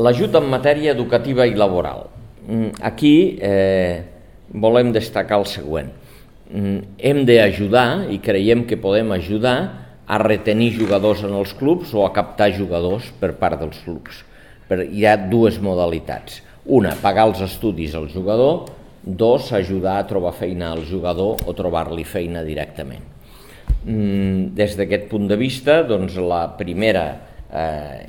L'ajut en matèria educativa i laboral. Aquí volem destacar el següent. Hem d'ajudar, i creiem que podem ajudar, a retenir jugadors en els clubs o a captar jugadors per part dels clubs. Hi ha dues modalitats. Una, pagar els estudis al jugador. Dos, ajudar a trobar feina al jugador o trobar-li feina directament. Des d'aquest punt de vista, doncs, la primera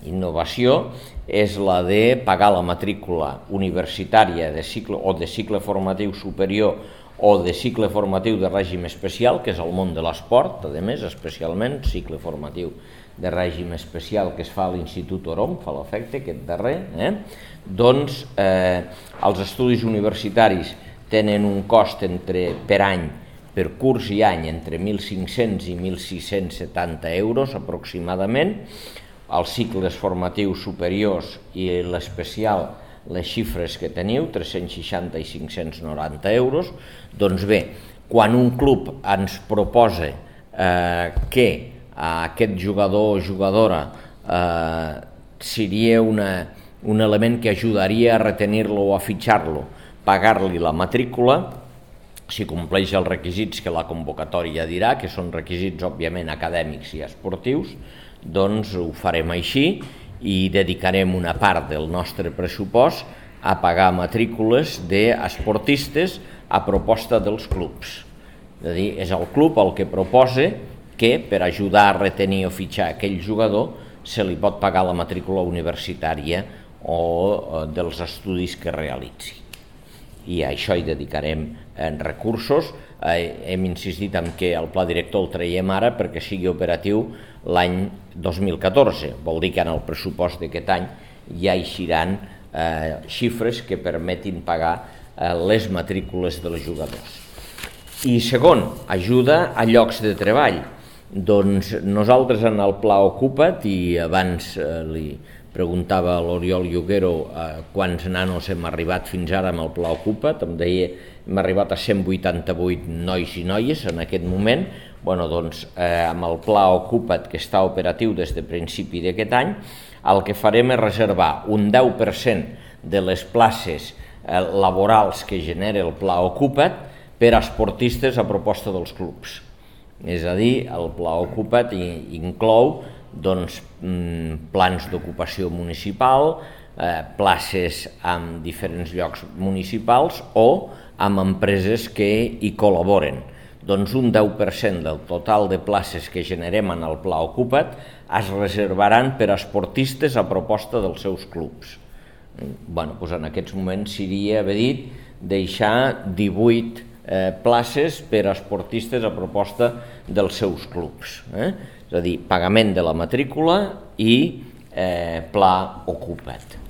innovació és la de pagar la matrícula universitària de cicle formatiu superior o de cicle formatiu de règim especial, que és el món de l'esport, a més, especialment, cicle formatiu de règim especial que es fa a l'Institut Orom, fa l'efecte aquest darrer, doncs els estudis universitaris tenen un cost per any, per curs i any, entre 1.500 i 1.670 euros aproximadament. Els cicles formatius superiors i l'especial, les xifres que teniu, 360 i 590 euros. Doncs bé, quan un club ens proposa que aquest jugador o jugadora seria un element que ajudaria a retenir-lo o a fitxar-lo, pagar-li la matrícula, si compleix els requisits que la convocatòria dirà, que són requisits òbviament acadèmics i esportius, doncs ho farem així i dedicarem una part del nostre pressupost a pagar matrícules d'esportistes a proposta dels clubs. És a dir, és el club el que proposa que per ajudar a retenir o fitxar aquell jugador se li pot pagar la matrícula universitària o dels estudis que realitzi. I a això hi dedicarem recursos. Hem insistit en que el pla director el traiem ara perquè sigui operatiu l'any 2014. Vol dir que en el pressupost d'aquest any ja eixiran xifres que permetin pagar les matrícules dels jugadors. I segon, ajuda a llocs de treball. Doncs nosaltres en el Pla Ocupa't, i abans li preguntava a l'Oriol Lloguero quants nanos hem arribat fins ara amb el Pla Ocupa't, em deia hem arribat a 188 nois i noies en aquest moment. Doncs amb el Pla Ocupa't, que està operatiu des de principi d'aquest any, el que farem és reservar un 10% de les places laborals que genera el Pla Ocupa't per a esportistes a proposta dels clubs. És a dir, el Pla Ocupa't inclou plans d'ocupació municipal, places en diferents llocs municipals o amb empreses que hi col·laboren. Doncs un 10% del total de places que generem en el Pla Ocupa't es reservaran per a esportistes a proposta dels seus clubs. En aquests moments seria haver dit deixar 18 places per a esportistes a proposta dels seus clubs. És a dir, pagament de la matrícula i Pla Ocupa't.